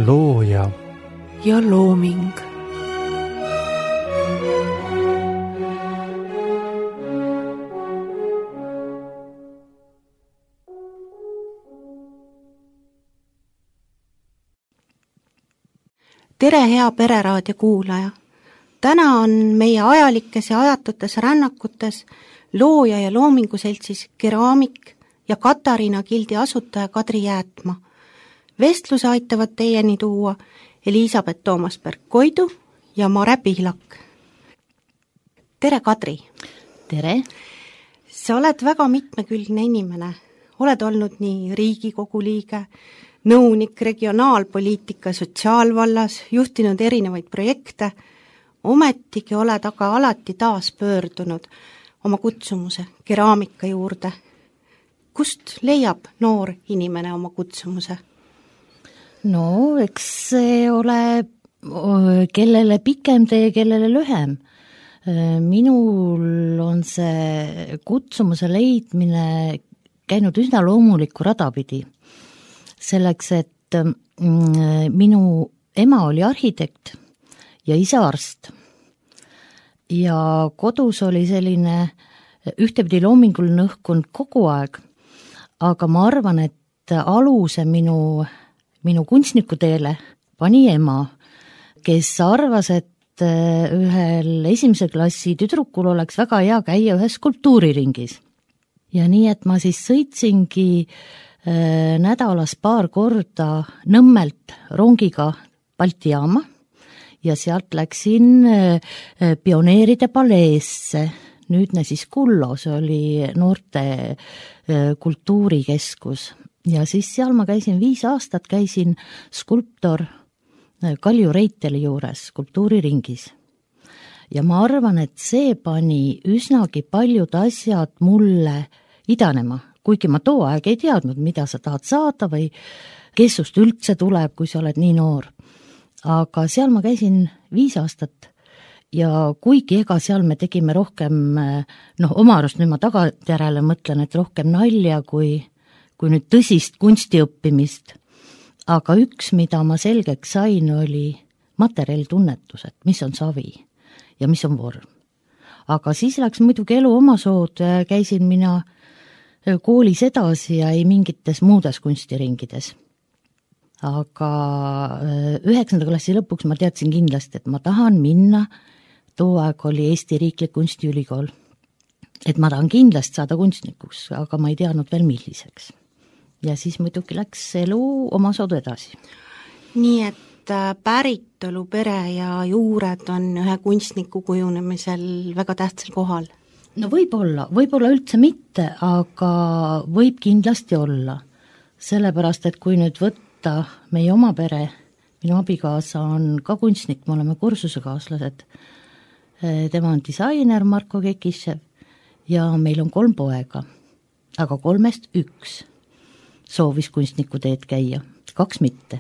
looja ja looming. Tere, hea Pereraadio kuulaja! Täna on meie ajalikes ja ajatutes rännakutes looja ja loominguseltsis Keraamik ja Katariina Gildi asutaja Kadri Jäätma. Vestluse aitavad teieni tuua Elisabeth Toomasberg-Koidu ja Mare Pihlak. Tere, Kadri! Tere! Sa oled väga mitmekülgne inimene. Oled olnud nii Riigikogu liige, nõunik regionaalpoliitika sotsiaalvallas, juhtinud erinevaid projekte, ometigi oled aga alati taas pöördunud oma kutsumuse keraamika juurde. Kust leiab noor inimene oma kutsumuse? No, eks see ole kellele pikem tee, kellele lühem. Minul on see kutsumuse leidmine käinud üsna loomulikku radapidi. Selleks, et minu ema oli arhitekt ja isa arst. Ja kodus oli selline ühtepidi loominguline õhkkond kogu aeg, aga ma arvan, et aluse minu kunstnikuteele pani ema, kes arvas, et ühel esimese klassi tüdrukul oleks väga hea käia ühes skulptuuriringis. Ja nii, et ma siis sõitsingi nädalas paar korda Nõmmelt rongiga Balti jaama ja sealt läksin pioneeride paleesse, nüüdne siis Kullo, see oli noorte kultuurikeskus. Ja siis seal ma käisin 5 aastat, käisin skulptor Kalju Reiteli juures skulptuuriringis. Ja ma arvan, et see pani üsnagi paljud asjad mulle idanema, kuigi ma too aeg ei teadnud, mida sa tahad saada või kes sust üldse tuleb, kui sa oled nii noor. Aga seal ma käisin 5 aastat ja kuigi ega seal me tegime rohkem, oma arust nüüd ma tagantjärele mõtlen, et rohkem nalja kui nüüd tõsist kunstiõppimist. Aga üks, mida ma selgeks sain, oli materjalitunnetus, et mis on savi ja mis on vorm. Aga siis läks muidugi elu oma sood, käisin mina koolis edasi ja ei mingites muudes kunstiringides. Aga 9. klassi lõpuks ma teadsin kindlasti, et ma tahan minna, too aeg oli Eesti Riiklik Kunstiülikool, et ma tahan kindlasti saada kunstnikuks, aga ma ei teadnud veel milliseks. Ja siis muidugi läks elu oma soodu edasi. Nii et päritolu, pere ja juured on ühe kunstniku kujunemisel väga tähtsal kohal? No võib-olla üldse mitte, aga võib kindlasti olla. Sellepärast, et kui nüüd võtta meie oma pere, minu abikaasa on ka kunstnik, me oleme kursusekaaslased. Tema on disainer Marko Kekishev ja meil on 3 poega, aga 3-st 1 soovis kunstniku teed käia, 2 mitte.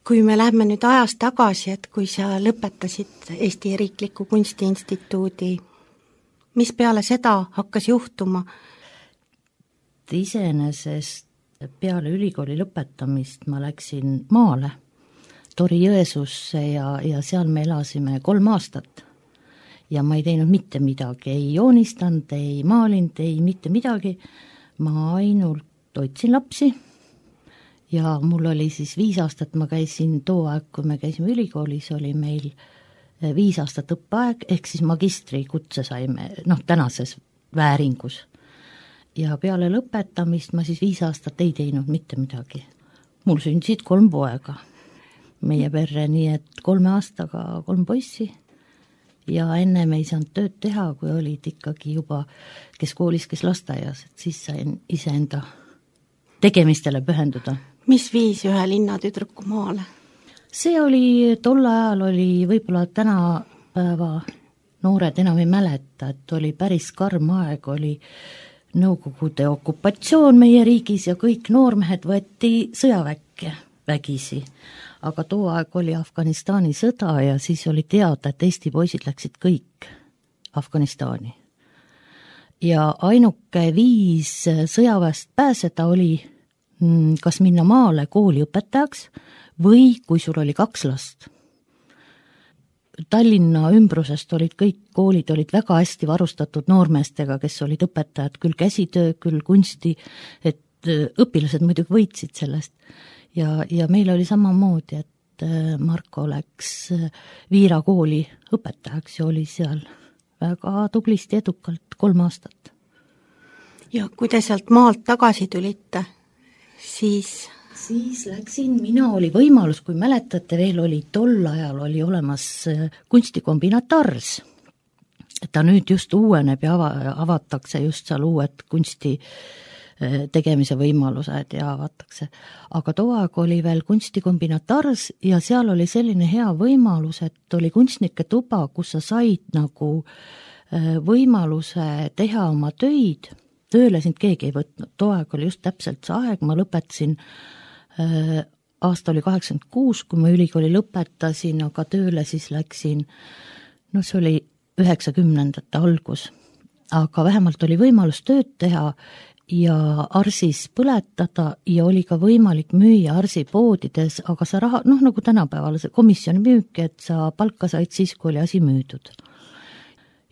Kui me lähme nüüd ajas tagasi, et kui sa lõpetasid Eesti Riikliku Kunstiinstituudi, mis peale seda hakkas juhtuma? Iseenesest peale ülikooli lõpetamist ma läksin maale, Tori Jõesuusse ja seal me elasime 3 aastat. Ja ma ei teinud mitte midagi, ei joonistanud, ei maalinud, ei mitte midagi. Ma ainult hoidsin lapsi ja mul oli siis 5 aastat, ma käisin too aeg, kui me käisime ülikoolis, oli meil 5 aastat õppeaeg, ehk siis magistri kutse saime, tänases vääringus. Ja peale lõpetamist ma siis 5 aastat ei teinud mitte midagi. Mul sündisid 3 poega meie perre, nii et 3 aastaga 3 poissi ja enne me ei saanud tööd teha, kui olid ikkagi juba kes koolis, kes lasteaias, et siis sain iseenda tegemistele pühenduda. Mis viis ühe linnatüdruku maale? See oli, tol ajal oli võib-olla tänapäeva noored enam ei mäleta, et oli päris karm aeg, oli Nõukogude okupatsioon meie riigis ja kõik noormehed võeti sõjaväkke vägisi. Aga too aeg oli Afganistani sõda ja siis oli teada, et Eesti poisid läksid kõik Afganistani. Ja ainuke viis sõjaväest pääseda oli kas minna maale kooli õpetajaks või kui sul oli 2 last. Tallinna ümbrusest olid kõik koolid olid väga hästi varustatud noormeestega, kes olid õpetajad, küll käsitöö, küll kunsti, et õpilased muidugi võitsid sellest. Ja meil oli samamoodi, et Marko läks Viira kooli õpetajaks ja oli seal väga tublisti edukalt 3 aastat. Ja kui te sealt maalt tagasi tulite, siis läksin, mina oli võimalus, kui mäletate, veel oli tol ajal oli olemas kunstikombinaat Ars. Ta nüüd just uueneb ja avatakse just seal uued kunsti tegemise võimalused ja avatakse. Aga too aeg oli veel kunstikombinaat Ars ja seal oli selline hea võimalus, et oli kunstnike tuba, kus sa said nagu võimaluse teha oma töid. Tööle sind keegi ei võtnud, too aeg oli just täpselt see aeg, ma lõpetasin, aasta oli 86, kui ma ülikooli lõpetasin, aga tööle siis läksin, see oli 90ndate algus, aga vähemalt oli võimalus tööd teha ja Arsis põletada ja oli ka võimalik müüa Arsi poodides, aga sa raha, nagu tänapäeval see komisjoni müük, et sa palka said siis, kui oli asi müüdud.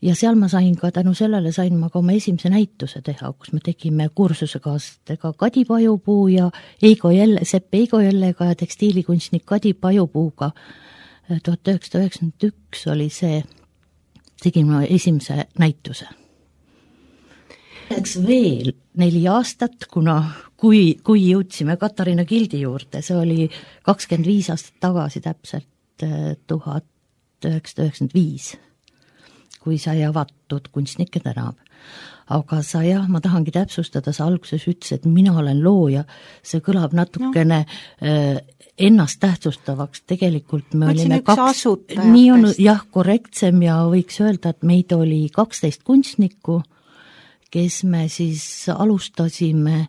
Ja seal ma sain ka, tänu sellele sain ma ka oma esimese näituse teha, kus me tegime kursusekaaslastega Kadi Pajupuu ja Sepp Eigo Jellega ja tekstiilikunstnik Kadi Pajupuuga. 1991 oli see, tegin ma esimese näituse. Läks veel 4 aastat, kui jõudsime Katariina Gildi juurde, see oli 25 aastat tagasi täpselt, 1995. kui sai avatud Kunstnike tänav. Aga ma tahangi täpsustada, sa alguses ütles, et mina olen looja, see kõlab natukene ennast tähtsustavaks, tegelikult me olime 2, nii on korrektsem ja võiks öelda, et meid oli 12 kunstnikku, kes me siis alustasime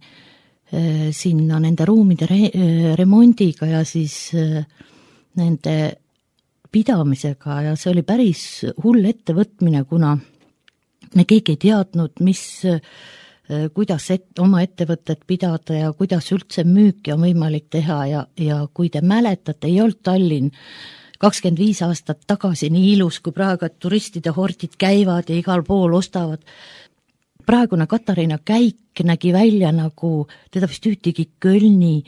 sinna nende ruumide remondiga ja siis nende pidamisega ja see oli päris hull ettevõtmine, kuna me keegi ei teadnud, kuidas oma ettevõtet pidada ja kuidas üldse müüki on võimalik teha ja kui te mäletate, ei olnud Tallinn 25 aastat tagasi nii ilus kui praegu, et turistide hordid käivad ja igal pool ostavad. Praegune Katariina käik nägi välja nagu, teda vist ühtegi Kölni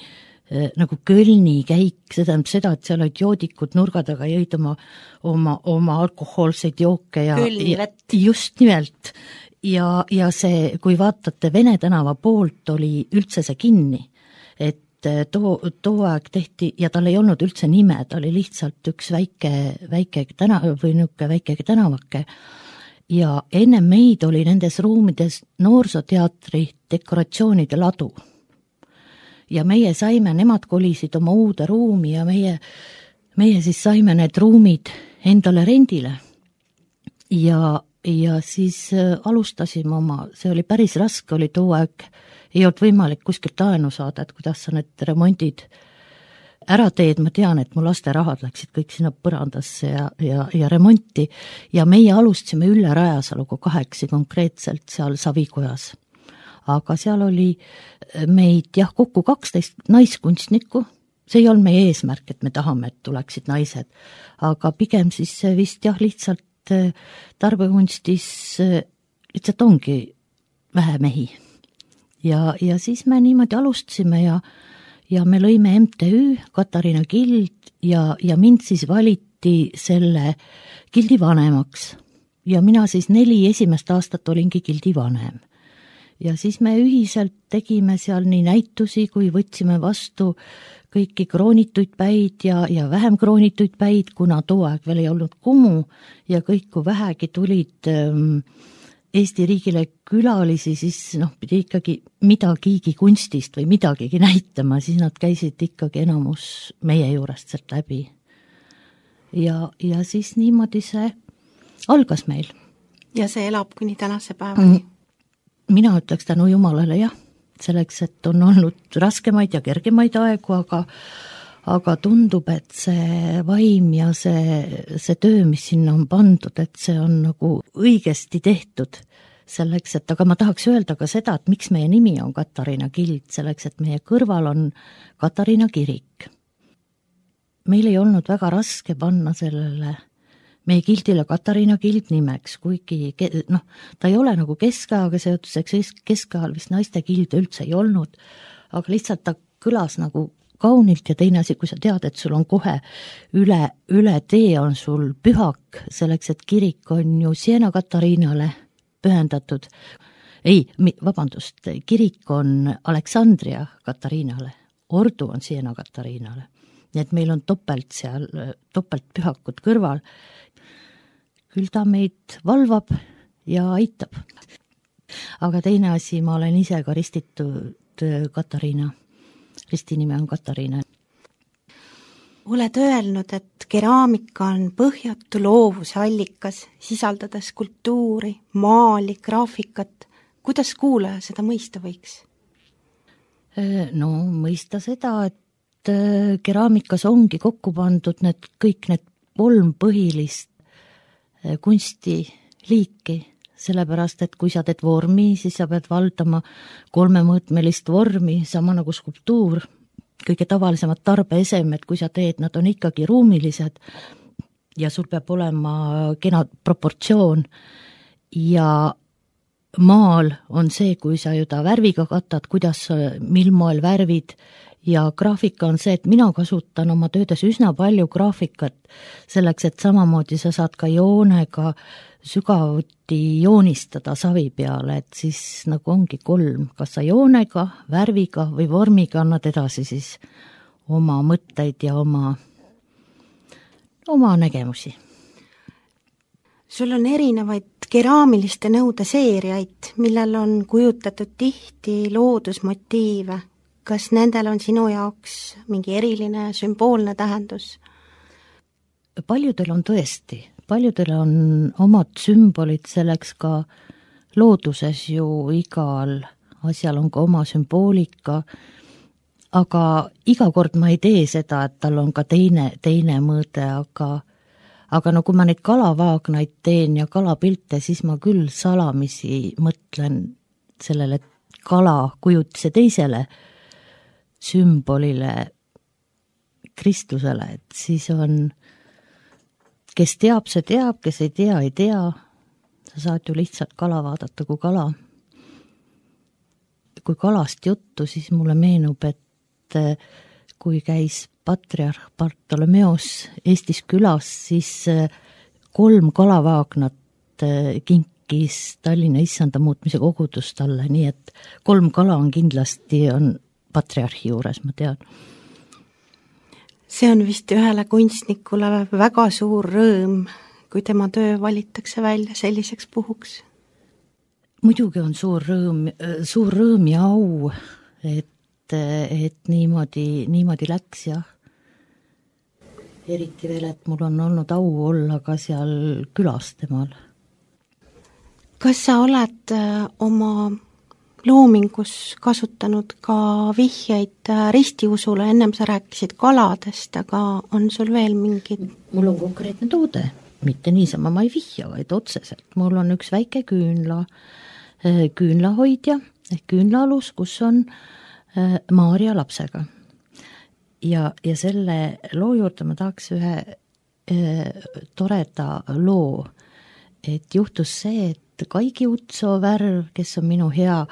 käik, seda, et seal olid joodikud nurga taga, jõid oma alkohoolseid jooke ja just nimelt. Ja see, kui vaatate Vene tänava poolt, oli üldse see kinni, et too aeg tehti ja tal ei olnud üldse nime, ta oli lihtsalt üks väike tänavake ja enne meid oli nendes ruumides noorsooteatri dekoratsioonide ladu. Ja meie saime, nemad kolisid oma uude ruumi ja meie siis saime need ruumid endale rendile. Ja siis alustasime see oli päris raske, oli too aeg, ei olnud võimalik kuskilt laenu saada, et kuidas sa need remondid ära teed, ma tean, et mu laste rahad läksid kõik sinna põrandasse ja remonti ja meie alustasime Ülle Rajasaluga 8 konkreetselt seal Savikojas. Aga seal oli meid kokku 12 naiskunstnikku, see ei olnud meie eesmärk, et me tahame, et tuleksid naised, aga pigem siis vist lihtsalt tarbekunstis lihtsalt ongi vähe mehi. Ja siis me niimoodi alustasime ja me lõime MTÜ Katariina Gild ja mind siis valiti selle gildi vanemaks ja mina siis 4 esimest aastat olingi gildi vanem. Ja siis me ühiselt tegime seal nii näitusi, kui võtsime vastu kõiki kroonituid päid ja vähem kroonituid päid, kuna too aeg veel ei olnud Kumu ja kõik, kui vähegi tulid Eesti riigile külalisi, siis pidi ikkagi midagigi kunstist või midagigi näitama, siis nad käisid ikkagi enamus meie juurest sealt läbi. Ja siis niimoodi see algas meil. Ja see elab kuni tänase päevani? Mina ütleks tänu Jumalale selleks, et on olnud raskemaid ja kergemaid aegu, aga tundub, et see vaim ja see töö, mis sinna on pandud, et see on nagu õigesti tehtud. selleks, et aga ma tahaks öelda ka seda, et miks meie nimi on Katariina kild, selleks, et meie kõrval on Katariina kirik. Meil ei olnud väga raske panna sellele meie gildile Katariina gild nimeks, kuigi ta ei ole nagu keskajaga seotuseks, keskajal vist naiste gild üldse ei olnud, aga lihtsalt ta kõlas nagu kaunilt ja teine asi, kui sa tead, et sul on kohe üle tee on sul pühak, selleks, et kirik on ju Siena Katariinale pühendatud. Kirik on Aleksandria Katariinale, ordu on Siena Katariinale. Nii et meil on topelt pühakud kõrval. Küll ta meid valvab ja aitab. Aga teine asi, ma olen ise ka ristitud Katariina. Ristinime on Katariina. Oled öelnud, et keraamika on põhjatu loovuse allikas, sisaldades kultuuri, maali, graafikat. Kuidas kuulaja seda mõista võiks? No mõista seda, et keraamikas ongi kokku pandud kõik need 3 põhilist kunstiliiki, sellepärast, et kui sa teed vormi, siis sa pead valdama 3-mõõtmelist vormi, sama nagu skulptuur, kõige tavalisemad tarbeesemed, kui sa teed, nad on ikkagi ruumilised ja sul peab olema kena proportsioon ja maal on see, kui sa juba värviga katad, mil moel värvid ja graafika on see, et mina kasutan oma töödes üsna palju graafikat selleks, et samamoodi sa saad ka joonega sügavuti joonistada savi peale, et siis nagu ongi 3, kas sa joonega, värviga või vormiga annad edasi siis oma mõtteid ja oma nägemusi. Sul on erinevaid keraamiliste nõude seeriaid, millel on kujutatud tihti loodusmotiive. Kas nendel on sinu jaoks mingi eriline sümboolne tähendus? Paljudel on tõesti. Paljudel on omad sümbolid, selleks ka looduses ju igal asjal on ka oma sümboolika, aga iga kord ma ei tee seda, et tal on ka teine mõõde, aga no kui ma neid kalavaagnaid teen ja kalapilte, siis ma küll salamisi mõtlen sellele kalakujutise teisele sümbolile, Kristlusele, et siis on kes teab, see teab, kes ei tea. Sa saad ju lihtsalt kala vaadata kui kala. Kui kalast juttu, siis mulle meenub, et kui käis patriarh Bartolomeos Eestis külas, siis 3 kalavaagnat kinkis Tallinna issanda muutmise kogudus talle, nii et 3 kala on kindlasti patriarhi juures, ma tean. See on vist ühele kunstnikule väga suur rõõm, kui tema töö valitakse välja selliseks puhuks. Muidugi on suur rõõm ja au, et niimoodi läks, jah. Eriti veel, et mul on olnud au olla ka seal külas temal. Kas sa oled oma loomingus kasutanud ka vihjeid ristiusule, ennem sa rääkisid kaladest, aga on sul veel mingid? Mul on konkreetne toode, mitte niisama ma ei vihja, vaid otseselt. Mul on üks väike küünlahoidja ehk küünlaalus, kus on Maarja lapsega. Ja selle loo juurde ma tahaks ühe toreda loo, et juhtus see, et Kaigi Utsoo Värv, kes on minu hea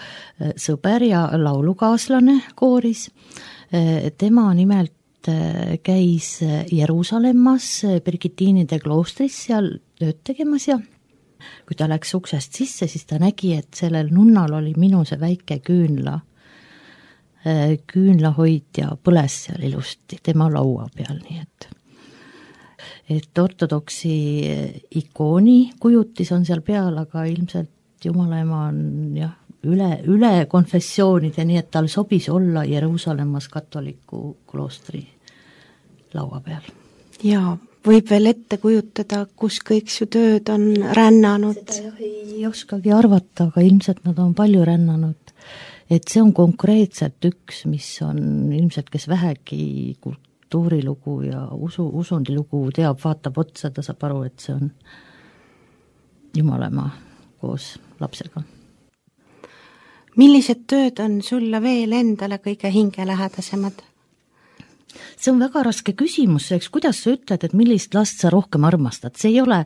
sõber ja laulukaaslane kooris, tema nimelt käis Jeruusalemmas Birgitiinide kloostris seal tööd tegemas ja kui ta läks uksest sisse, siis ta nägi, et sellel nunnal oli minu see väike küünlahoidja põles seal ilusti tema laua peal, nii et ortodoksi ikooni kujutis on seal peal, aga ilmselt Jumala ema on üle konfessioonide, nii et tal sobis olla Jeruusalemmas katoliku kloostri laua peal. Ja võib veel ette kujutada, kus kõik su tööd on rännanud? Seda ei oskagi arvata, aga ilmselt nad on palju rännanud. Et see on konkreetselt üks, mis on ilmselt, kes vähegi kultuurilugu ja usundilugu teab, vaatab otsa, ta saab aru, et see on Jumalamaa koos lapsega. Millised tööd on sulle veel endale kõige hingelähedasemad? See on väga raske küsimus, eks kuidas sa ütled, et millist last sa rohkem armastad, see ei ole,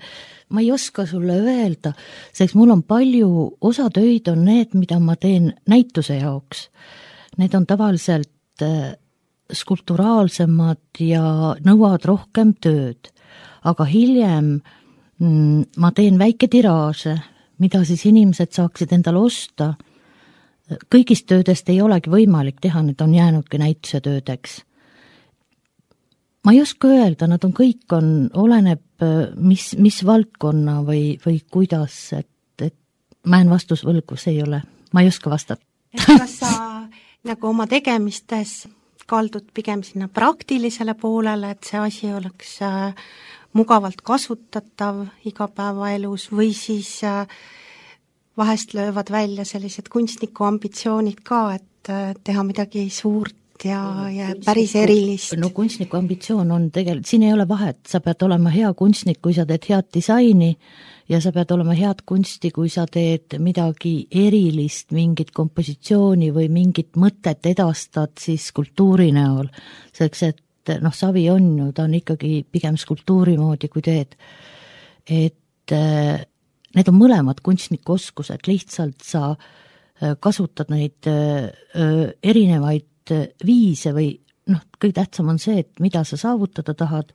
ma ei oska sulle öelda, sest mul on palju, osa töid on need, mida ma teen näituse jaoks. Need on tavaliselt skulpturaalsemad ja nõuavad rohkem tööd, aga hiljem ma teen väike tiraaže, mida siis inimesed saaksid endale osta. Kõigist töödest ei olegi võimalik teha, need on jäänudki näituse töödeks. Ma ei oska öelda, nad on kõik oleneb mis valdkonna või kuidas, et ma jään vastus võlgu, see ei ole, ma ei oska vastata. Kas sa nagu oma tegemistes kaldud pigem sinna praktilisele poolele, et see asi oleks mugavalt kasutatav igapäevaelus või siis vahest löövad välja sellised kunstniku ambitsioonid ka, et teha midagi suurt ja päris erilist? No kunstniku ambitsioon on tegelikult, siin ei ole vahet, sa pead olema hea kunstnik, kui sa teed head disaini ja sa pead olema head kunsti, kui sa teed midagi erilist, mingit kompositsiooni või mingit mõtet edastad siis skulptuuri näol. Selleks, et savi on ju, ta on ikkagi pigem skulptuuri moodi, kui teed. Et need on mõlemad kunstniku oskused, lihtsalt sa kasutad neid erinevaid viise või kõige tähtsam on see, et mida sa saavutada tahad,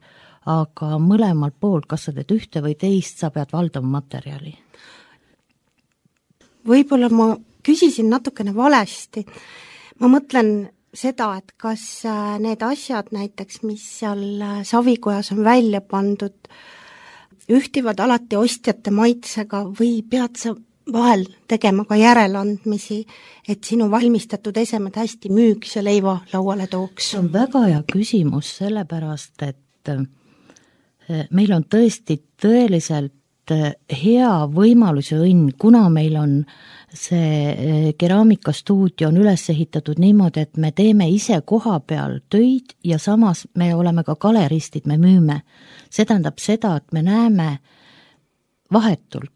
aga mõlemalt poolt, kas sa teed ühte või teist, sa pead valdama materjali. Võib-olla ma küsisin natukene valesti. Ma mõtlen seda, et kas need asjad näiteks, mis seal savikojas on välja pandud, ühtivad alati ostjate maitsega või pead sa vahel tegema ka järeleandmisi, et sinu valmistatud esemed hästi müüks ja leiva lauale tooks? See on väga hea küsimus, sellepärast, et meil on tõesti tõeliselt hea võimalus ja õnn, kuna meil on see keraamikastuudio on üles ehitatud niimoodi, et me teeme ise koha peal töid ja samas me oleme ka galeristid, me müüme. See tähendab seda, et me näeme vahetult,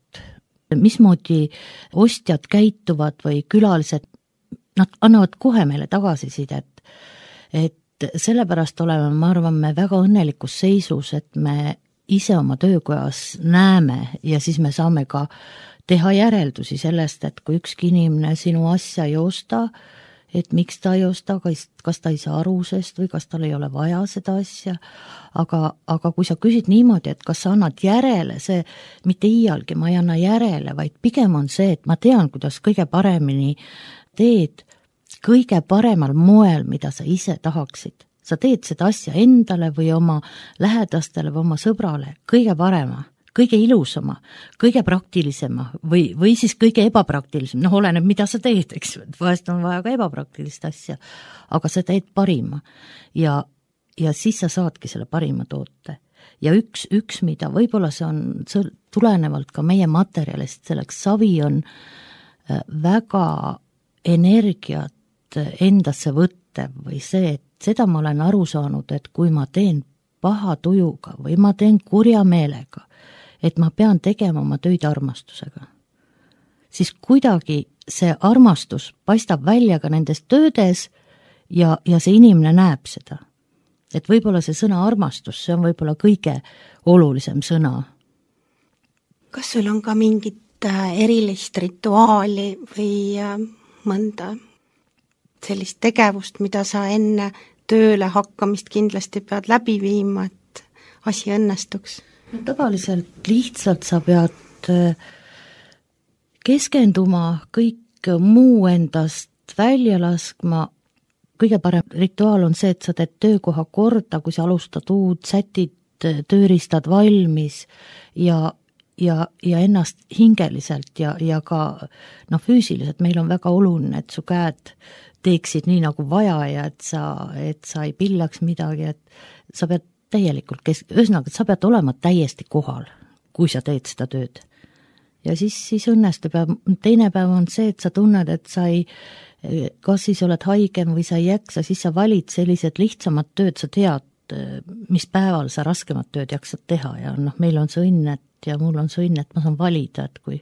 mismoodi ostjad käituvad või külalised, nad annavad kohe meile tagasisidet, et sellepärast oleme, ma arvan, me väga õnnelikus seisus, et me ise oma töökojas näeme ja siis me saame ka teha järeldusi sellest, et kui ükski inimene sinu asja ei osta, et miks ta ei osta, kas ta ei saa aru sest või kas tal ei ole vaja seda asja, aga kui sa küsid niimoodi, et kas sa annad järele, see mitte iialgi ma ei anna järele, vaid pigem on see, et ma tean, kuidas kõige paremini teed, kõige paremal moel, mida sa ise tahaksid. Sa teed seda asja endale või oma lähedastele või oma sõbrale kõige parema, kõige ilusama, kõige praktilisema või siis kõige ebapraktilisem, oleneb, mida sa teed, eks, vahest on vaja ka ebapraktilist asja, aga sa teed parima ja siis sa saadki selle parima toote. Ja üks mida võib-olla see on tulenevalt ka meie materjalist, selleks savi on väga energiat endasse võttev või see, et seda ma olen aru saanud, et kui ma teen paha tujuga või ma teen kurja meelega, et ma pean tegema oma töid armastusega, siis kuidagi see armastus paistab välja ka nendes töödes ja see inimene näeb seda. Et võib-olla see sõna armastus, see on võib-olla kõige olulisem sõna. Kas sul on ka mingit erilist rituaali või mõnda sellist tegevust, mida sa enne tööle hakkamist kindlasti pead läbi viima, et asi õnnestuks? No, tavaliselt lihtsalt sa pead keskenduma, kõik muu endast välja laskma. Kõige parem rituaal on see, et sa teed töökoha korda, kui sa alustad uud, sätid, tööriistad valmis ja ennast hingeliselt ja ka füüsiliselt. Meil on väga oluline, et su käed teeksid nii nagu vaja ja et sa ei pillaks midagi, et sa pead täielikult ühesõnaga, et sa pead olema täiesti kohal, kui sa teed seda tööd. Ja siis õnnestub ja teine päev on see, et sa tunned, et sa ei, kas siis oled haigem või sa ei jaksa, siis sa valid sellised lihtsamad tööd, sa tead, mis päeval sa raskemat tööd jaksad teha ja meil on see õnn, ja mul on see õnn, et ma saan valida, et kui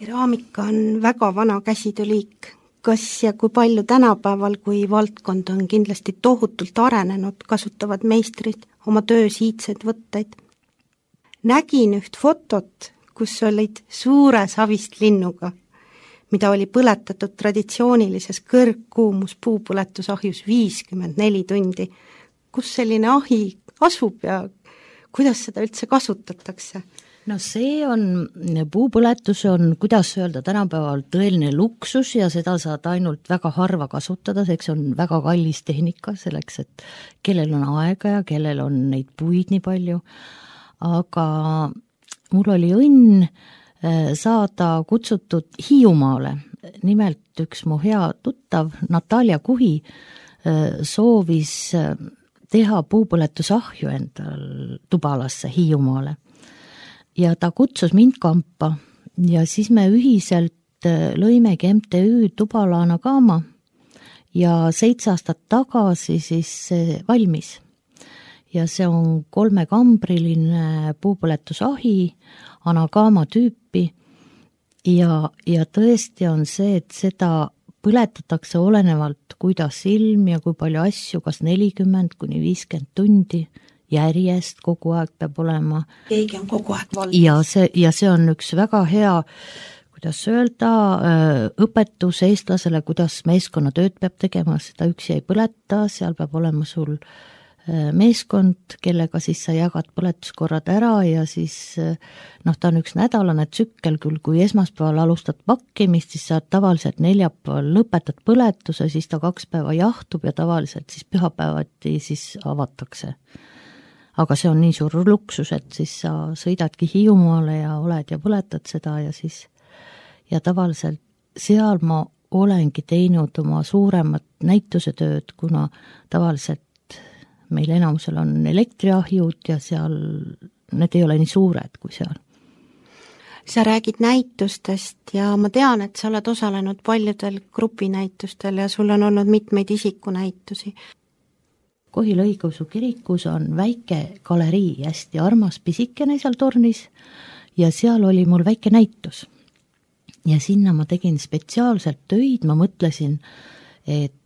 keraamika on väga vana käsitööliik. Kas ja kui palju tänapäeval, kui valdkond on kindlasti tohutult arenenud, kasutavad meistrid oma töös iidseid võtteid? Nägin üht fotot, kus olid suure savist linnuga, mida oli põletatud traditsioonilises kõrgkuumus puupõletusahjus 54 tundi. Kus selline ahi asub ja kuidas seda üldse kasutatakse? No see on, puupõletus on, kuidas öelda, tänapäeval tõeline luksus ja seda saad ainult väga harva kasutada, see on väga kallis tehnika selleks, et kellel on aega ja kellel on neid puid nii palju, aga mul oli õnn saada kutsutud Hiiumaale. Nimelt üks mu hea tuttav, Natalja Kuhi, soovis teha puupõletusahju endal Tubalasse Hiiumaale. Ja ta kutsus mind kampa ja siis me ühiselt lõimegi MTÜ Tubala Anagama ja 7 aastat tagasi siis see valmis. Ja see on 3-kambriline puupõletusahi, Anagama tüüpi ja tõesti on see, et seda põletatakse olenevalt, kuidas ilm ja kui palju asju, kas 40 kuni 50 tundi järjest kogu aeg peab olema. Keegi on kogu aeg valmis. Ja see on üks väga hea, kuidas öelda, õpetus eestlasele, kuidas meeskonnatööd peab tegema, seda üksi ei põleta, seal peab olema sul meeskond, kellega siis sa jagad põletuskorrad ära ja siis ta on üks nädalane tsükkel küll, kui esmaspäeval alustad pakkimist, siis sa tavaliselt neljapäeval lõpetad põletuse, siis ta 2 päeva jahtub ja tavaliselt siis pühapäevati siis avatakse. Aga see on nii suur luksus, et siis sa sõidadki Hiiumaale ja oled ja põletad seda ja tavaliselt seal ma olengi teinud oma suuremat näitusetööd, kuna tavaliselt meil enamusel on elektriahjud ja seal need ei ole nii suured kui seal. Sa räägid näitustest ja ma tean, et sa oled osalenud paljudel grupinäitustel ja sul on olnud mitmeid isikunäitusi. Kohila õigeusu kirikus on väike galerii, hästi armas pisikene seal tornis ja seal oli mul väike näitus. Ja sinna ma tegin spetsiaalselt töid, ma mõtlesin, et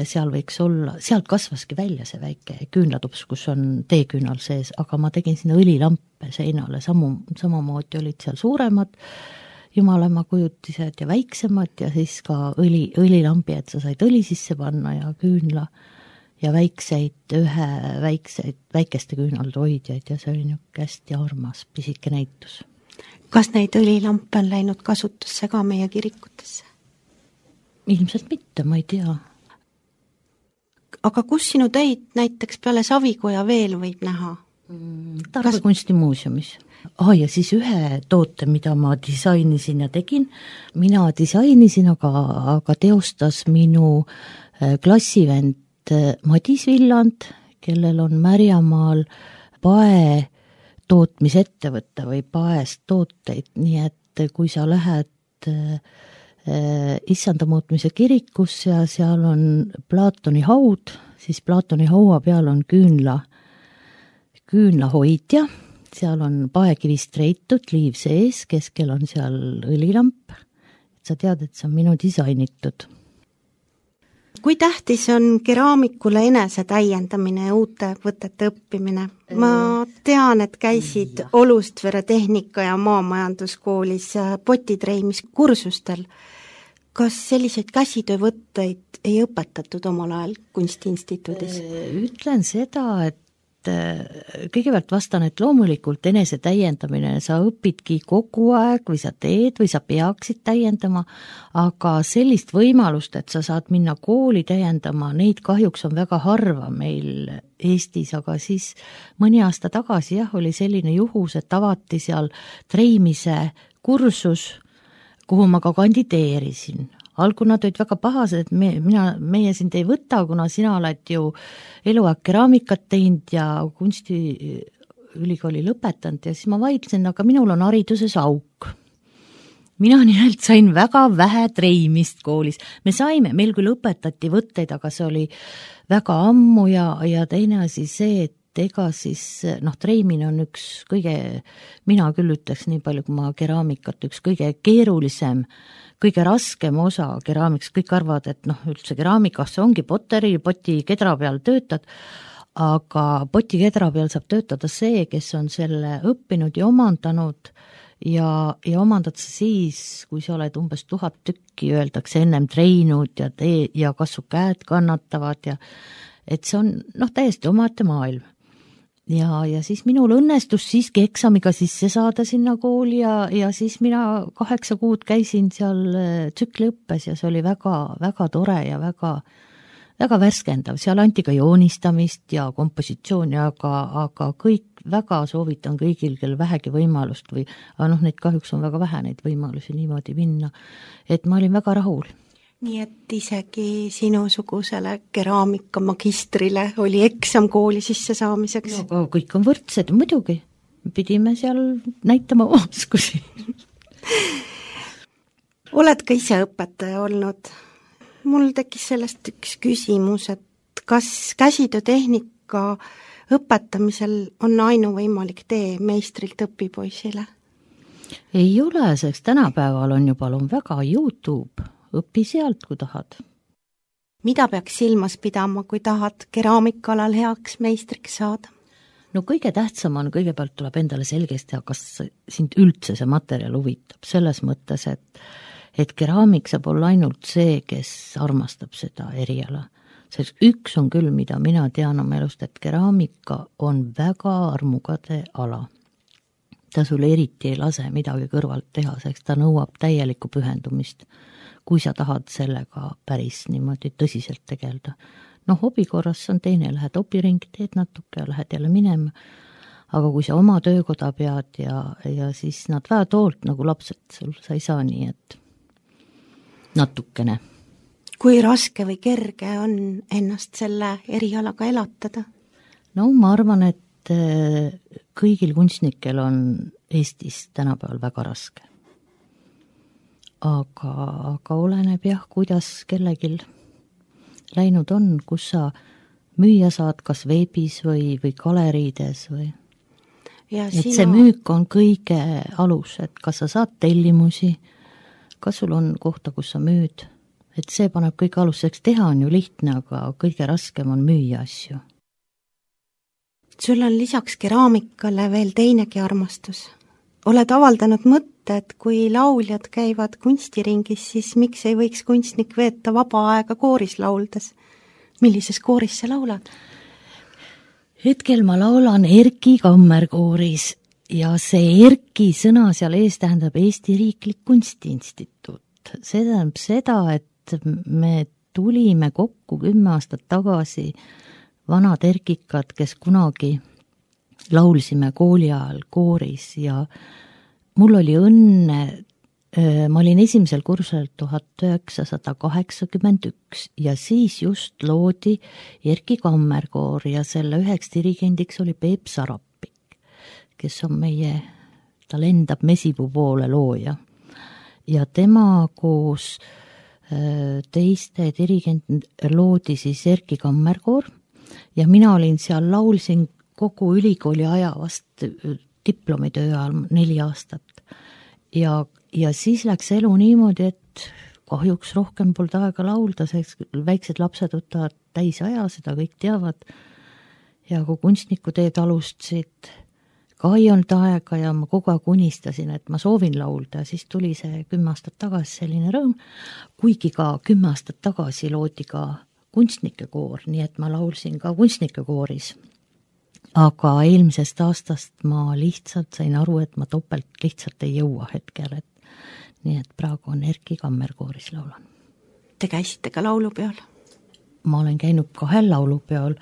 seal võiks olla, sealt kasvaski välja see väike küünlatups, kus on teeküünal sees, aga ma tegin sinna õlilampe seinale, samamoodi olid seal suuremad jumalamaa kujutised ja väiksemad ja siis ka õlilambi, et sa said õli sisse panna ja küünla ja väikeste küünalde hoidjaid ja see oli niisugune hästi armas pisike näitus. Kas neid õlilampe on läinud kasutusse ka meie kirikutesse? Ilmselt mitte, ma ei tea. Aga kus sinu töid näiteks peale Savikoja veel võib näha? Tarva kunstimuuseumis. Ja siis ühe toote, mida ma disainisin ja tegin. Mina disainisin, aga teostas minu klassivend Madis Villand, kellel on Märjamaal pae tootmisettevõtte või paest tooteid, nii et kui sa lähed Issanda muutmise kirikusse ja seal on Platoni haud, siis Platoni haua peal on küünlahoidja, seal on paekivist reitud, liiv sees, keskel on seal õlilamp, et sa tead, et see on minu disainitud. Kui tähtis on keraamikule enese täiendamine ja uute võtete õppimine? Ma tean, et käisid Olustvere tehnika- ja maamajanduskoolis potitreimiskursustel. Kas selliseid käsitöövõtteid ei õpetatud omal ajal Kunstiinstituudis? Ütlen seda, et kõigepealt vastan, et loomulikult enese täiendamine, sa õpidki kogu aeg või sa teed või sa peaksid täiendama, aga sellist võimalust, et sa saad minna kooli täiendama, neid kahjuks on väga harva meil Eestis, aga siis mõni aasta tagasi oli selline juhus, et avati seal treimise kursus, kuhu ma ka kandideerisin. Algul nad olid väga pahased, et meie sind ei võta, kuna sina oled ju eluaeg keraamikat teinud ja kunstiülikooli lõpetanud ja siis ma vaidlesin, aga minul on hariduses auk. Mina nimelt sain väga vähe treimist koolis. Meil küll õpetati võtteid, aga see oli väga ammu ja teine asi see, et ega siis treimine on üks kõige, mina küll ütleks nii palju, kui ma keraamikat, üks kõige keerulisem, kõige raskem osa keraamiks, kõik arvavad, et üldse keraamikas ongi poteri, poti kedra peal töötad, aga poti kedra peal saab töötada see, kes on selle õppinud ja omandanud ja omandad sa siis, kui sa oled umbes 1000 tükki, öeldakse ennem treeninud ja kas su käed kannatavad ja et see on täiesti omaette maailm. Ja siis minul õnnestus siiski eksamiga sisse saada sinna kooli ja siis mina 8 kuud käisin seal tsükliõppes ja see oli väga, väga tore ja väga, väga värskendav. Seal anti ka joonistamist ja kompositsiooni, aga kõik väga soovitan kõigil, kel vähegi võimalust või, aga neid kahjuks on väga vähe neid võimalusi niimoodi minna, et ma olin väga rahul. Nii et isegi sinusugusele keraamika magistrile oli eksam kooli sisse saamiseks? No, kõik on võrdsed, muidugi. Pidime seal näitama oskusi. Oled ka ise õpetaja olnud? Mul tekkis sellest üks küsimus, et kas käsitöötehnika õpetamisel on ainuvõimalik tee meistrilt õpipoisile? Ei ole, sest tänapäeval on ju palun väga YouTube. Õpi sealt, kui tahad. Mida peaks silmas pidama, kui tahad keraamikalal heaks meistriks saada? No kõige tähtsam on, kõigepealt tuleb endale selgeks teha, kas sind üldse see materjal huvitab, selles mõttes, et keraamik saab olla ainult see, kes armastab seda eriala. Sest üks on küll, mida mina tean oma elust, et keraamika on väga armugade ala. Ta sulle eriti ei lase midagi kõrvalt teha, sest ta nõuab täielikku pühendumist, kui sa tahad sellega päris niimoodi tõsiselt tegelda. Hobi korras on teine, lähed opiringi, teed natuke ja lähed jälle minema, aga kui sa oma töökoda pead ja siis nad väed hoolt nagu lapsed, sa ei saa nii, et natukene. Kui raske või kerge on ennast selle erialaga elatada? Ma arvan, et kõigil kunstnikel on Eestis tänapäeval väga raske. Aga oleneb jah, kuidas kellegil läinud on, kus sa müüa saad, kas veebis või galeriides või. Et see müük on kõige alus, et kas sa saad tellimusi, kas sul on kohta, kus sa müüd, et see paneb kõik aluseks, teha on ju lihtne, aga kõige raskem on müüa asju. Sul on lisaks keraamikale veel teinegi armastus. Oled avaldanud mõtte, et kui lauljad käivad kunstiringis, siis miks ei võiks kunstnik veeta vaba aega kooris lauldes? Millises kooris sa laulad? Hetkel ma laulan Erki Kammerkooris ja see Erki sõna seal ees tähendab Eesti Riiklik Kunstiinstituut. See tähendab seda, et me tulime kokku 10 aastat tagasi vanad erkikad, kes kunagi laulsime kooli ajal kooris ja mul oli õnne, ma olin esimesel kursusel 1981 ja siis just loodi Erki Kammerkoor ja selle üheks dirigendiks oli Peep Sarapik, kes on ta lendab Mesipuu poole looja. Ja tema koos teiste dirigent loodi siis Erki Kammerkoor ja mina olin seal, laulsin kogu ülikooli aja vast diplomitöö ajal 4 aastat. Ja siis läks elu niimoodi, et kahjuks rohkem polnud aega laulda, sest väiksed lapsed võtavad täisaja, seda kõik teavad. Ja kui kunstnikuteed alustasid, ka ei olnud aega ja ma kogu aeg unistasin, et ma soovin laulda ja siis tuli see 10 aastat tagasi selline rõõm, kuigi ka 10 aastat tagasi loodi ka kunstnikekoor, nii et ma laulsin ka kunstnikekooris. Aga eelmisest aastast ma lihtsalt sain aru, et ma topelt lihtsalt ei jõua hetkel, nii et praegu on Erki Kammerkooris laulan. Te käisite ka laulupeol? Ma olen käinud 2 laulupeol,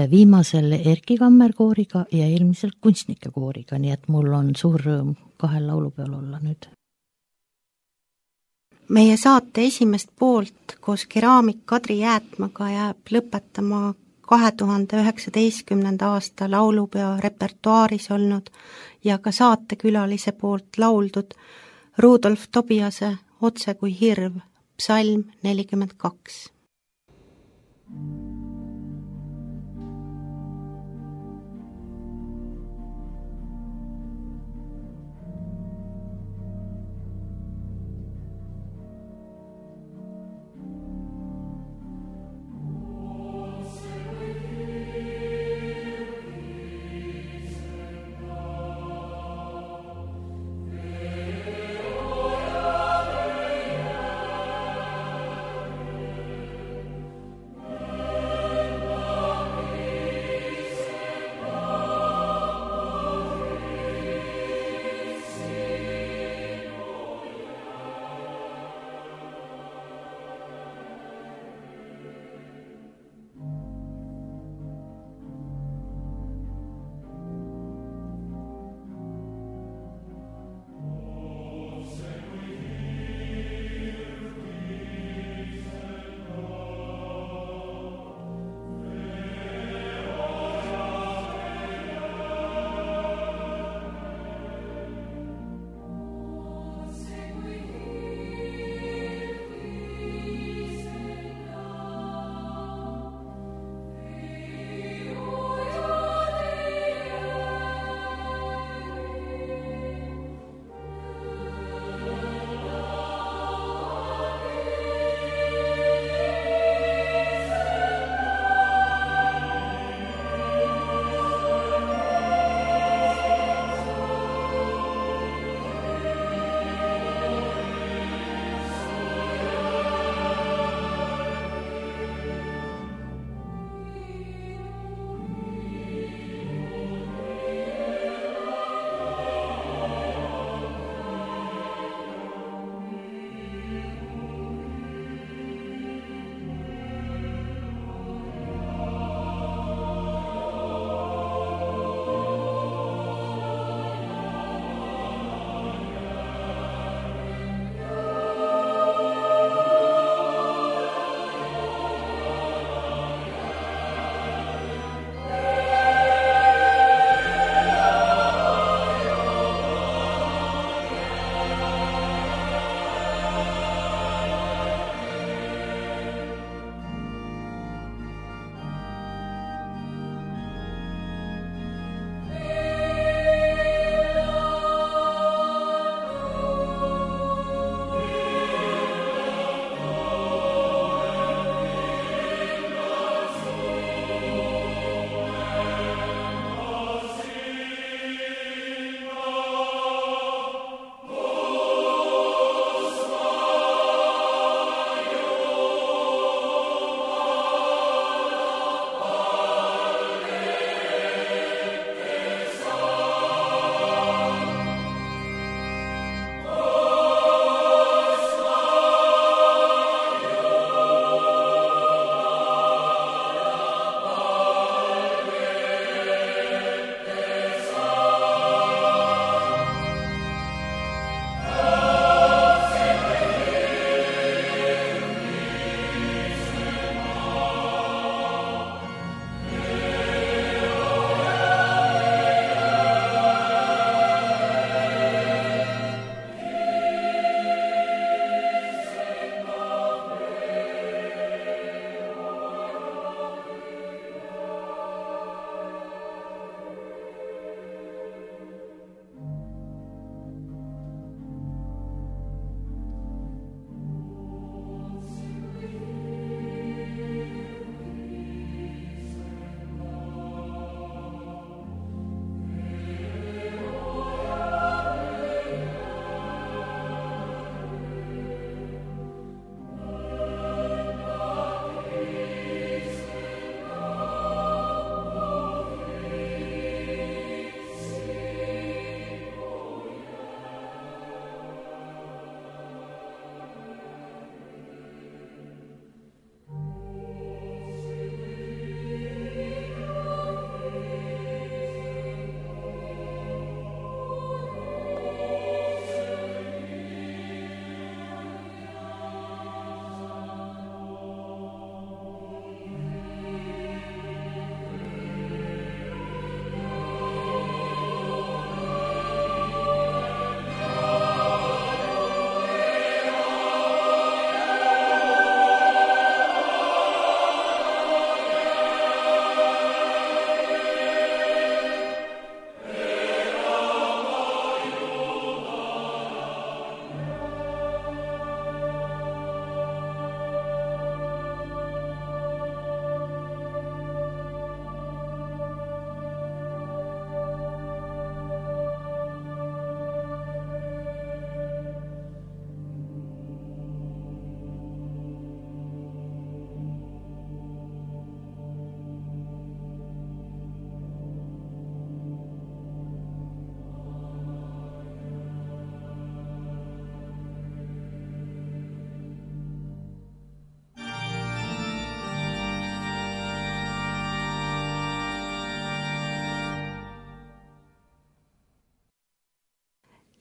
viimasel Erki Kammerkooriga ja eelmisel kunstnikekooriga, nii et mul on suur rõõm 2 laulupeol olla nüüd. Meie saate esimest poolt koos keraamik Kadri Jäätmaga jääb lõpetama 2019. aasta laulupeo repertuaaris olnud ja ka saatekülalise poolt lauldud Rudolf Tobiase Otse kui hirv, psalm 42.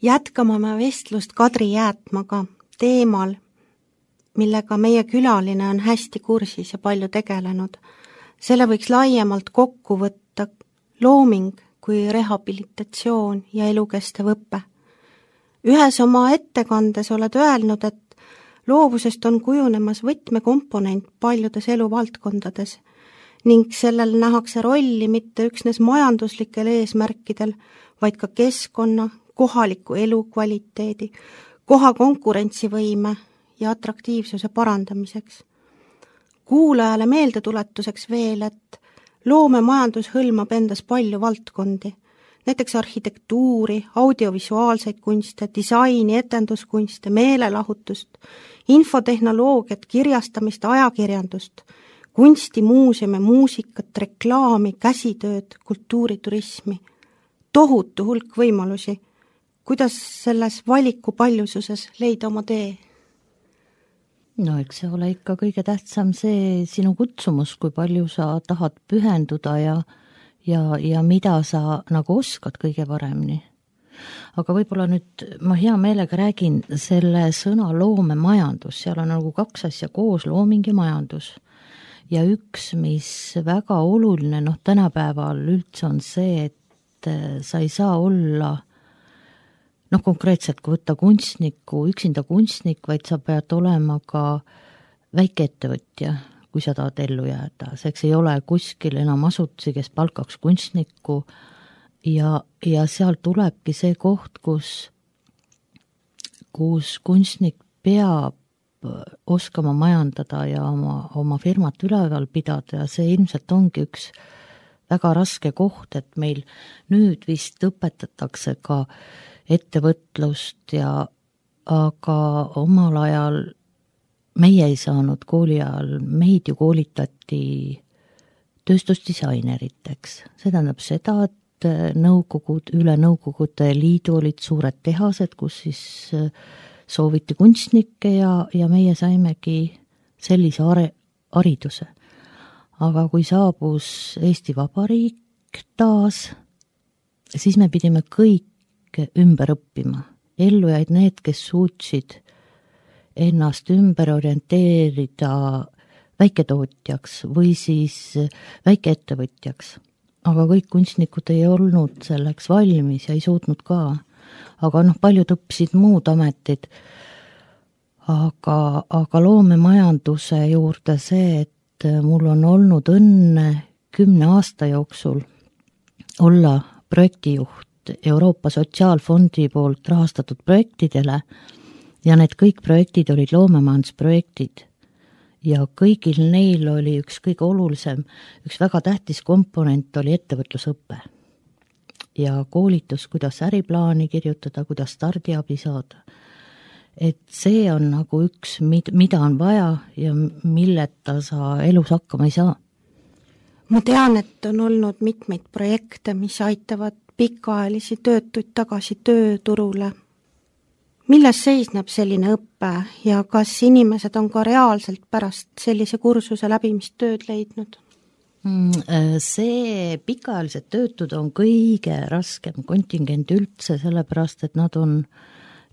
jätkame me vestlust Kadri Jäätmaga teemal, millega meie külaline on hästi kursis ja palju tegelenud. Selle võiks laiemalt kokku võtta looming kui rehabilitatsioon ja elukestev õpe. Ühes oma ettekandes oled öelnud, et loovusest on kujunemas võtmekomponent paljudes eluvaldkondades ning sellel nähakse rolli mitte üksnes majanduslikel eesmärkidel, vaid ka keskkonna, kohaliku elukvaliteedi, koha konkurentsivõime ja atraktiivsuse parandamiseks. Kuulajale meeldetuletuseks veel, et loomemajandus hõlmab endas palju valdkondi, näiteks arhitektuuri, audiovisuaalseid kunste, disaini, etenduskunste, meelelahutust, infotehnoloogiat, kirjastamist, ajakirjandust, kunsti, muuseumi, muusikat, reklaami, käsitööd, kultuuriturismi. Tohutu hulk võimalusi. Kuidas selles valiku paljususes leida oma tee? No eks see ole ikka kõige tähtsam see sinu kutsumus, kui palju sa tahad pühenduda ja mida sa nagu oskad kõige paremini. Aga võib-olla nüüd ma hea meelega räägin selle sõna loomemajandus, seal on nagu kaks asja koos, looming ja majandus. Ja üks, mis väga oluline tänapäeval üldse on see, et sa ei saa olla konkreetselt, kui võtta üksinda kunstnik, vaid sa pead olema ka väikeettevõtja, kui sa tahad ellu jääda. Seks ei ole kuskil enam asutusi, kes palkaks kunstnikku ja seal tulebki see koht, kus kunstnik peab oskama majandada ja oma firmat üleval pidada ja see ilmselt ongi üks väga raske koht, et meil nüüd vist õpetatakse ka ettevõtlust aga omal ajal meie ei saanud kooli ajal, meid ju koolitati tööstusdisaineriteks. See tähendab seda, et üle Nõukogude Liidu olid suured tehased, kus siis sooviti kunstnikke ja meie saimegi sellise hariduse. Aga kui saabus Eesti Vabariik taas, siis me pidime kõik ümber õppima. Ellu jäid need, kes suutsid ennast ümber orienteerida väiketootjaks või siis väikeettevõtjaks. Aga kõik kunstnikud ei olnud selleks valmis ja ei suutnud ka. Aga paljud õppisid muud ametid. Aga loomemajanduse juurde see, et mul on olnud õnne 10 aasta jooksul olla projektijuht Euroopa Sotsiaalfondi poolt rahastatud projektidele ja need kõik projektid olid loomemajandusprojektid ja kõigil neil oli üks kõige olulisem, üks väga tähtis komponent oli ettevõtlusõpe ja koolitus, kuidas äriplaani kirjutada, kuidas stardiabi saada. Et see on nagu üks, mida on vaja ja milleta sa elus hakkama ei saa. Ma tean, et on olnud mitmeid projekte, mis aitavad pikaajalisi töötuid tagasi tööturule. Milles seisneb selline õppe ja kas inimesed on ka reaalselt pärast sellise kursuse läbimist tööd leidnud? See pikaajalised töötud on kõige raskem kontingent üldse, sellepärast, et nad on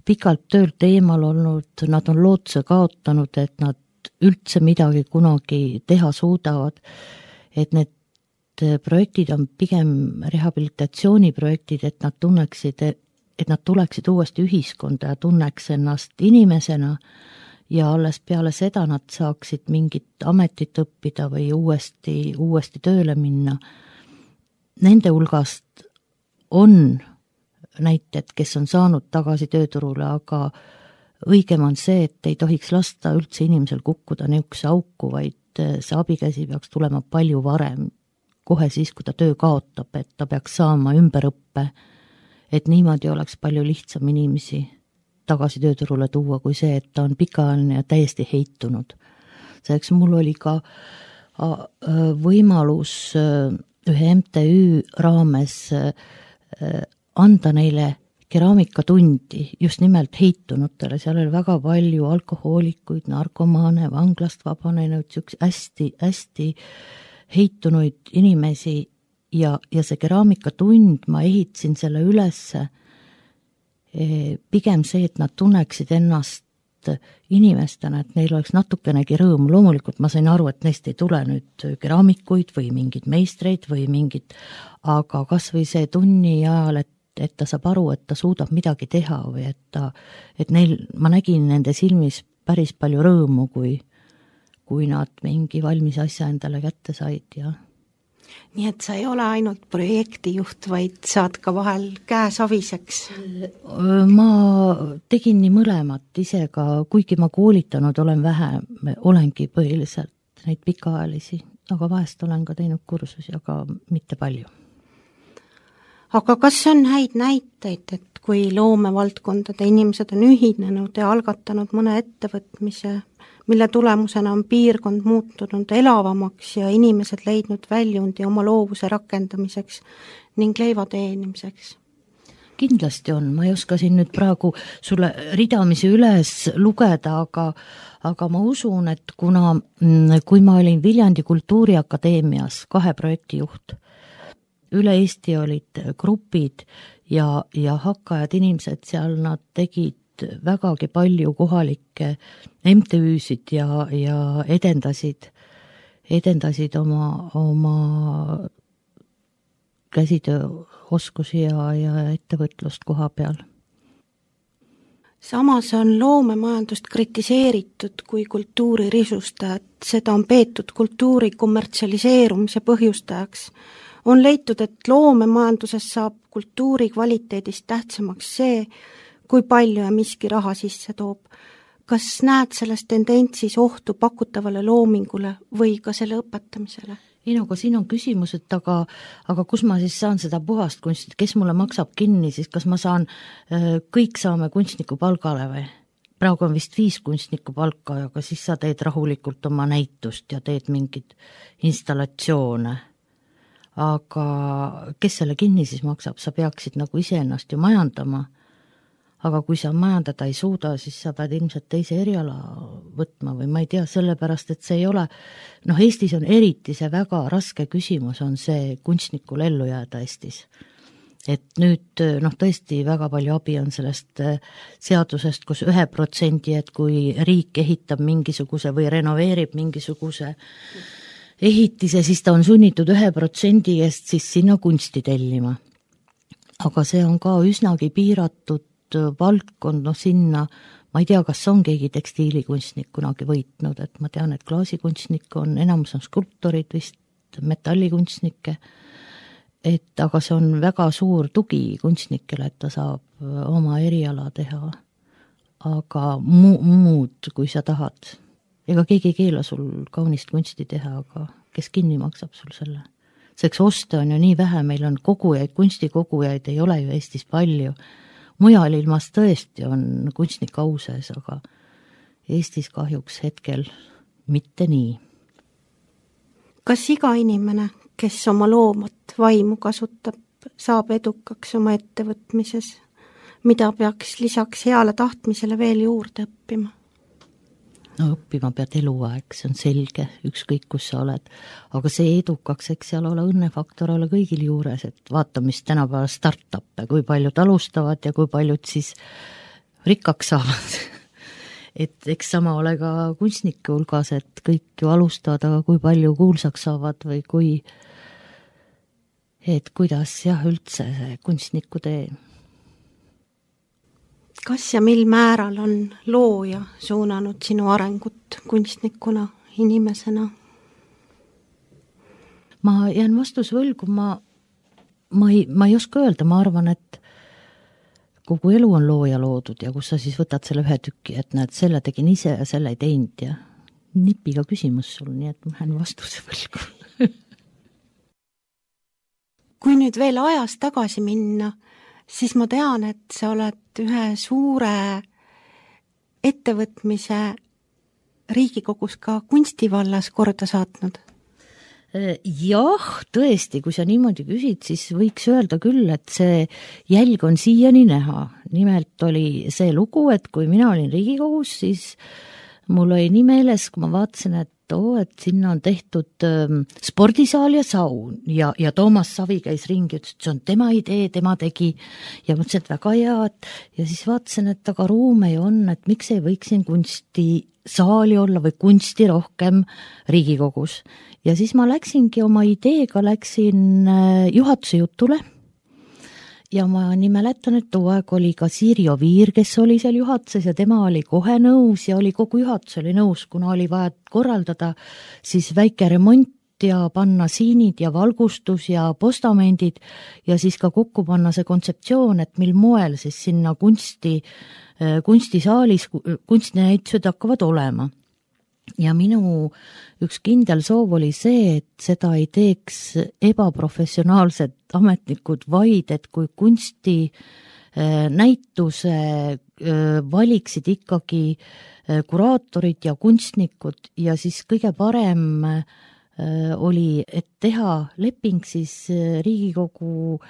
pikalt töölt eemal olnud, nad on lootuse kaotanud, et nad üldse midagi kunagi teha suudavad, et need projektid on pigem rehabilitatsiooniprojektid, et nad tuleksid uuesti ühiskonda ja tunneks ennast inimesena ja alles peale seda nad saaksid mingit ametit õppida või uuesti tööle minna. Nende hulgast on näited, kes on saanud tagasi tööturule, aga õigem on see, et ei tohiks lasta üldse inimesel kukkuda niisuguse auku, vaid see abikäsi peaks tulema palju varem, kohe siis, kui ta töö kaotab, et ta peaks saama ümberõppe, et niimoodi oleks palju lihtsam inimesi tagasi tööturule tuua, kui see, et ta on pikaajaline ja täiesti heitunud. Selleks mul oli ka võimalus ühe MTÜ raames anda neile keraamikatundi just nimelt heitunutele, seal oli väga palju alkohoolikuid, narkomaane, vanglast vabanenud, hästi heitunuid inimesi ja see keraamikatund, ma ehitasin selle ülesse, pigem see, et nad tunneksid ennast inimestena, et neil oleks natukenegi rõõmu. Loomulikult ma sain aru, et neist ei tule nüüd keraamikuid või mingid meistreid või mingid, aga kas või see tunni ajal, et ta saab aru, et ta suudab midagi teha või et neil, ma nägin nende silmis päris palju rõõmu, kui nad mingi valmis asja endale kätte said ja nii et sa ei ole ainult projektijuht, vaid saad ka vahel käe saviseks? Ma tegin nii mõlemat ise ka, kuigi ma koolitanud olen vähem, olengi põhiliselt neid pikaajalisi, aga vahest olen ka teinud kursusi, aga mitte palju. Aga kas on häid näiteid, et kui loomevaldkondade inimesed on ühinenud ja algatanud mõne ettevõtmise, mille tulemusena on piirkond muutunud elavamaks ja inimesed leidnud väljundi oma loovuse rakendamiseks ning leiva teenimiseks? Kindlasti on, ma ei oska siin nüüd praegu sulle ridamisi üles lugeda, aga ma usun, et kui ma olin Viljandi Kultuuriakadeemias 2 projektijuht, üle Eesti olid grupid ja hakkajad inimesed seal, nad tegid vägagi palju kohalikke MTÜ-sid ja edendasid oma käsitööoskusi ja ettevõtlust koha peal. Samas on loomemajandust kritiseeritud kui kultuuri risustajat, seda on peetud kultuuri kommertsialiseerumise põhjustajaks. On leitud, et loomemajanduses saab kultuuri kvaliteedist tähtsamaks see, kui palju ja miski raha sisse toob. Kas näed selles tendentsis ohtu pakutavale loomingule või ka selle õpetamisele? Aga siin on küsimus, et aga kus ma siis saan seda puhast kunstit, kes mulle maksab kinni, siis kas ma saan, kõik saame kunstniku palgale või? Praegu on vist 5 kunstniku palka, aga siis sa teed rahulikult oma näitust ja teed mingid installatsioone. Aga kes selle kinni siis maksab, sa peaksid nagu iseennast ju majandama. Aga kui sa majandada ei suuda, siis sa pead ilmselt teise eriala võtma või ma ei tea, sellepärast, et see ei ole, Eestis on eriti see väga raske küsimus, on see kunstnikul ellu jääda Eestis. Et nüüd, tõesti väga palju abi on sellest seadusest, kus 1%, et kui riik ehitab mingisuguse või renoveerib mingisuguse ehitise, siis ta on sunnitud 1% eest siis sinna kunsti tellima. Aga see on ka üsnagi piiratud valdkond, sinna, ma ei tea, kas on keegi tekstiilikunstnik kunagi võitnud, et ma tean, et klaasikunstnik on, enamus on skulptorid vist, metallikunstnikke, aga see on väga suur tugi kunstnikele, et ta saab oma eriala teha, aga muud, kui sa tahad. Ega keegi ei keela sul kaunist kunsti teha, aga kes kinni maksab sul selle? Seks osta on ju nii vähe, meil on kogujaid, kunstikogujaid ei ole ju Eestis palju. Mujal ilmas tõesti on kunstnik au sees, aga Eestis kahjuks hetkel mitte nii. Kas iga inimene, kes oma loomat vaimu kasutab, saab edukaks oma ettevõtmises, mida peaks lisaks heale tahtmisele veel juurde õppima? Õppima pead eluaeg, see on selge, ükskõik kus sa oled. Aga see edukaks, eks seal ole õnnefaktor ole kõigil juures, et vaata, mis tänapäeval start-up'e, kui paljud alustavad ja kui paljud siis rikkaks saavad. Et eks sama ole ka kunstnike hulgas, et kõik ju alustavad, aga kui palju kuulsaks saavad või et kuidas üldse see kunstniku tee. Kas ja mil määral on looja suunanud sinu arengut kunstnikuna, inimesena? Ma jään vastus võlgu, ma ei oska öelda, ma arvan, et kogu elu on looja loodud ja kus sa siis võtad selle 1 tüki, et näed, selle tegin ise ja selle ei teinud ja nipiga küsimus sul, nii et ma jään vastuse võlgu. Kui nüüd veel ajas tagasi minna, siis ma tean, et sa oled ühe suure ettevõtmise Riigikogus ka kunstivallas korda saatnud. Jah, tõesti, kui sa niimoodi küsid, siis võiks öelda küll, et see jälg on siiani näha. Nimelt oli see lugu, et kui mina olin Riigikogus, siis mul oli nii meeles, kui ma vaatasin, et et sinna on tehtud spordisaal ja saun ja Toomas Savi käis ringi, ütles, et see on tema idee, tema tegi ja mõtlesin, et väga hea, ja siis vaatasin, et aga ruume ju on, et miks ei võiks siin kunstisaali olla või kunsti rohkem Riigikogus. Ja siis ma läksingi oma ideega, juhatuse jutule ja ma nii mäletan, et too aeg oli ka Siiri Oviir, kes oli seal juhatuses ja tema oli kohe nõus ja oli kogu juhatus oli nõus, kuna oli vaja korraldada siis väike remont ja panna siinid ja valgustus ja postamendid ja siis ka kokku panna see kontseptsioon, et mil moel siis sinna kunstisaalis kunstinäitused hakkavad olema. Ja minu üks kindel soov oli see, et seda ei teeks ebaprofessionaalsed ametnikud, vaid et kui kunsti näituse valiksid ikkagi kuraatorid ja kunstnikud ja siis kõige parem oli, et teha leping siis Riigikogu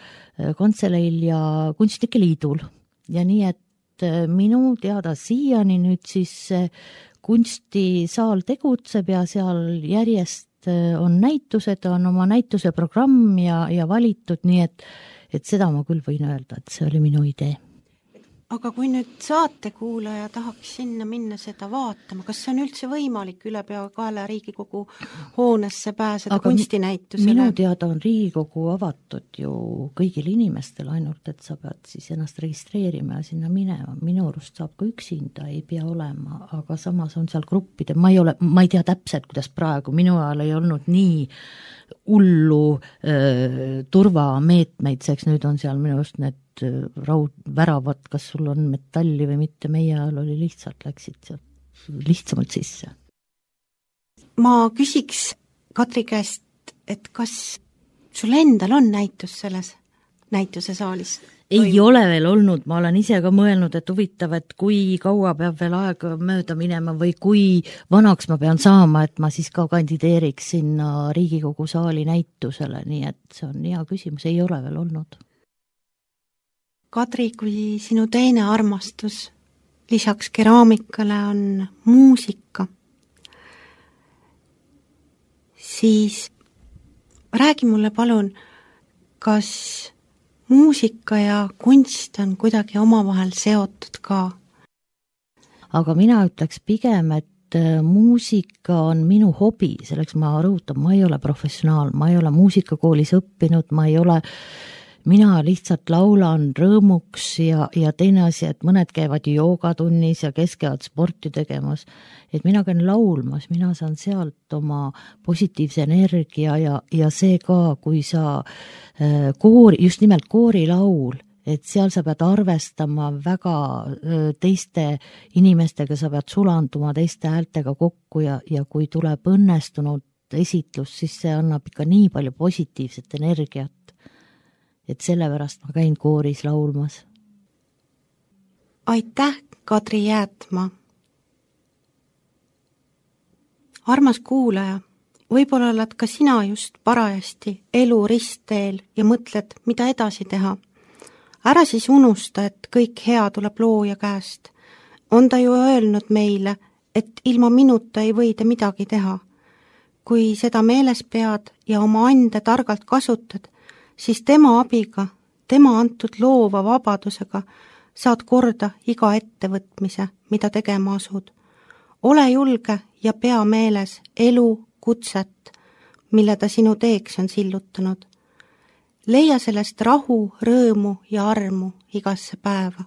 Kantseleil ja Kunstnike Liidul. Ja nii, et minu teada siiani nüüd siis kunstisaal tegutseb ja seal järjest on näitused, on oma näituse programm ja valitud, nii et seda ma küll võin öelda, et see oli minu idee. Aga kui nüüd saatekuulaja tahaks sinna minna seda vaatama, kas see on üldse võimalik ülepeakaela Riigikogu hoonesse pääseda kunstinäitusele? Minu teada on Riigikogu avatud ju kõigile inimestele, ainult et sa pead siis ennast registreerima ja sinna minema. Minu arust saab ka üksinda, ei pea olema, aga samas on seal gruppide, ma ei tea täpselt, kuidas praegu, minu ajal ei olnud nii hullu turvameetmeid, seks nüüd on seal minu just need raudväravad, kas sul on metalli või mitte, meie ajal oli lihtsalt, läksid sealt lihtsamalt sisse. Ma küsiks Kadri käest, et kas sul endal on näitus selles näituse saalis? Ei ole veel olnud, ma olen ise ka mõelnud, et huvitav, et kui kaua peab veel aega mööda minema või kui vanaks ma pean saama, et ma siis ka kandideeriks sinna Riigikogu saali näitusele, nii et see on hea küsimus, ei ole veel olnud. Kadri, kui sinu teine armastus lisaks keraamikale on muusika, siis räägi mulle palun, kas muusika ja kunst on kuidagi omavahel seotud ka? Aga mina ütleks pigem, et muusika on minu hobi, selleks ma rõhutan, ma ei ole professionaal, ma ei ole muusikakoolis õppinud, mina lihtsalt laulan rõõmuks ja teine asi, et mõned käivad joogatunnis ja kes käivad sporti tegemas, et mina käin laulmas, mina saan sealt oma positiivse energia ja see ka, kui sa just nimelt koorilaul, et seal sa pead arvestama väga teiste inimestega, sa pead sulanduma teiste häältega kokku ja kui tuleb õnnestunud esitlus, siis see annab ikka nii palju positiivset energiat. Et sellepärast ma käin kooris laulmas. Aitäh, Kadri Jäätma! Armas kuulaja, võib-olla oled ka sina just parajasti elu ristteel ja mõtled, mida edasi teha. Ära siis unusta, et kõik hea tuleb looja käest. On ta ju öelnud meile, et ilma minuta ei või te midagi teha. Kui seda meeles pead ja oma ande targalt kasutad, siis tema abiga, tema antud loova vabadusega saad korda iga ettevõtmise, mida tegema asud. Ole julge ja pea meeles elu kutset, mille ta sinu teeks on sillutanud. Leia sellest rahu, rõõmu ja armu igasse päeva.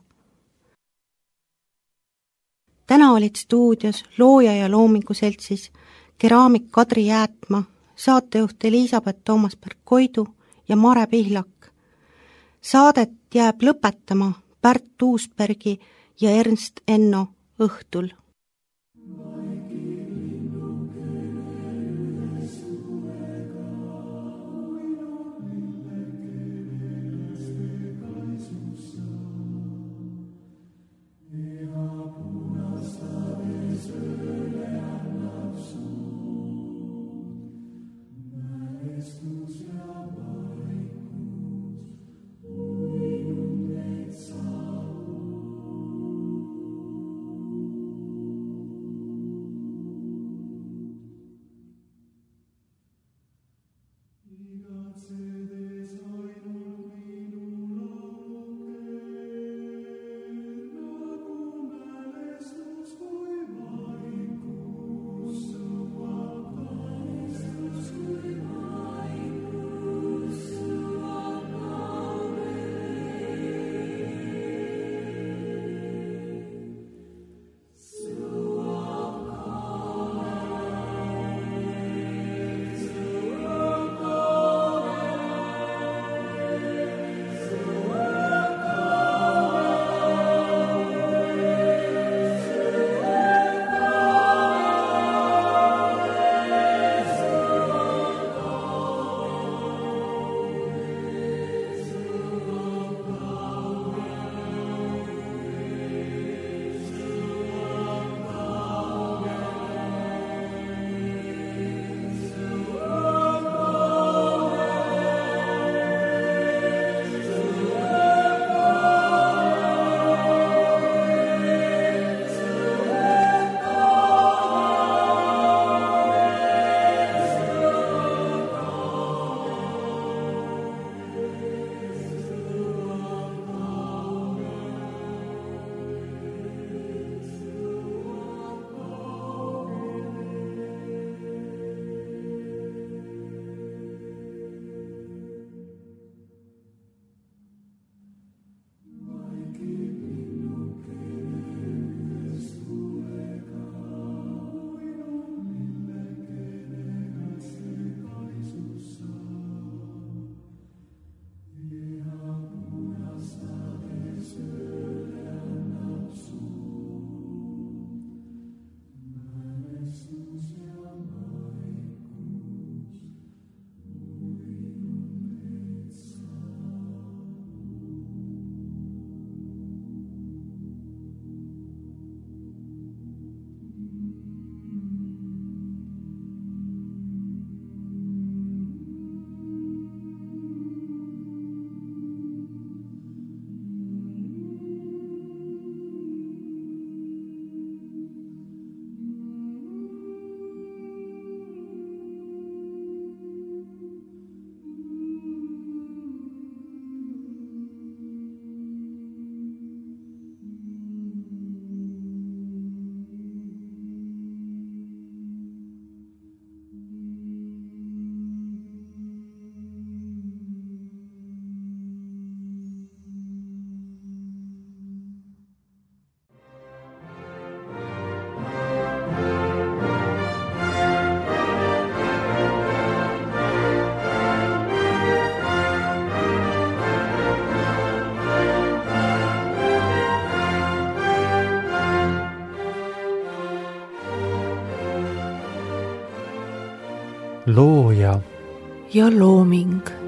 Täna olid stuudios looja ja loomingu seltsis keraamik Kadri Jäätma, saatejuht Elisabeth Toomasberg-Koidu ja Mare Pihlak. Saadet jääb lõpetama Pärt Uusbergi ja Ernst Enno õhtul. looja ja looming.